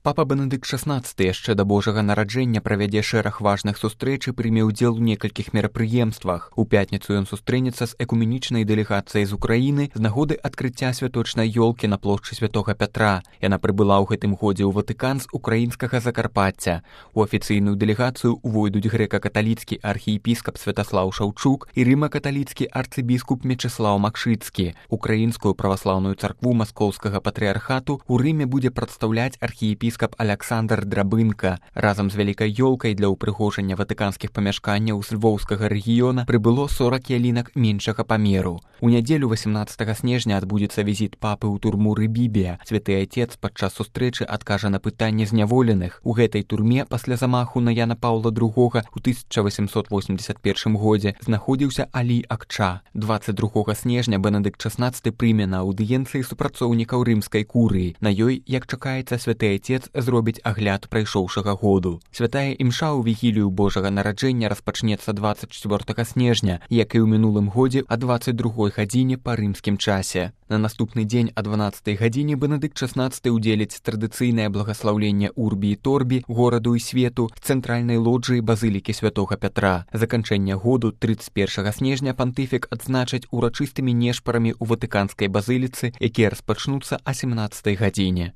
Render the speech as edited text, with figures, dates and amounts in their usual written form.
Папа Бенедыкт XVI яшчэ да Божага нараджэння правядзе шэраг важных сустрэч і прыме ўдзел у некалькіх мерапрыемствах. У пятніцу ён сустрэнецца з экуменічнай дэлегацыяй з Украіны з нагоды адкрыцця святочнай ёлкі на плошчы Святога Пятра. Яна прыбыла ў гэтым годзе ў Ватыкан з украінскага Закарпацця. У афіцыйную дэлегацыю увойдуць грэка-каталіцкі архіепіскап Святаслаў Шаўчук і рыма-каталіцкі арцыбіскуп Мечыслаў Макшыцкі. Украінскую праваслаўную царкву Маскоўскага патрыархату ў Рыме будзе прадстаўляць архіепіскап Аляксандр Драбынка. Разам з вялікай ёлкай для ўпрыгожання ватыканскіх памяшканняў з львоўскага рэгіёна прыбыло 40 ялінак меншага памеру. У нядзелю 18 снежня адбудзецца візіт папы ў турму Рыбібія. Святы Айцец падчас сустрэчы адкажа на пытанне зняволеных. У гэтай турме пасля замаху на Яна Паўла II у 1881 годзе знаходзіўся Алі Акча. 22 снежня Бенедыкт XVI прыме на аўдыенцыі супрацоўнікаў рымскай курыі. На ёй, як чакаецца, Святы Айцец зробіць агляд прайшоўшага году. Святая імша ў вігілію Божага нараджэння распачнецца 24 снежня, як і ў мінулым годзе а 22 гадзіне па рымскім часе. На наступны дзень а 12 гадзіне Бенедыкт XVI удзеліць традыцыйнае благаслаўленне Урбі і Торбі, гораду і свету, з цэнтральнай лоджыі базылікі Святога Пятра. Заканчэнне году 31 снежня пантыфік адзначаць урачыстымі нешпарамі ў Ватыканскай базыліцы, якія распачнуцца а 17 гадзіне.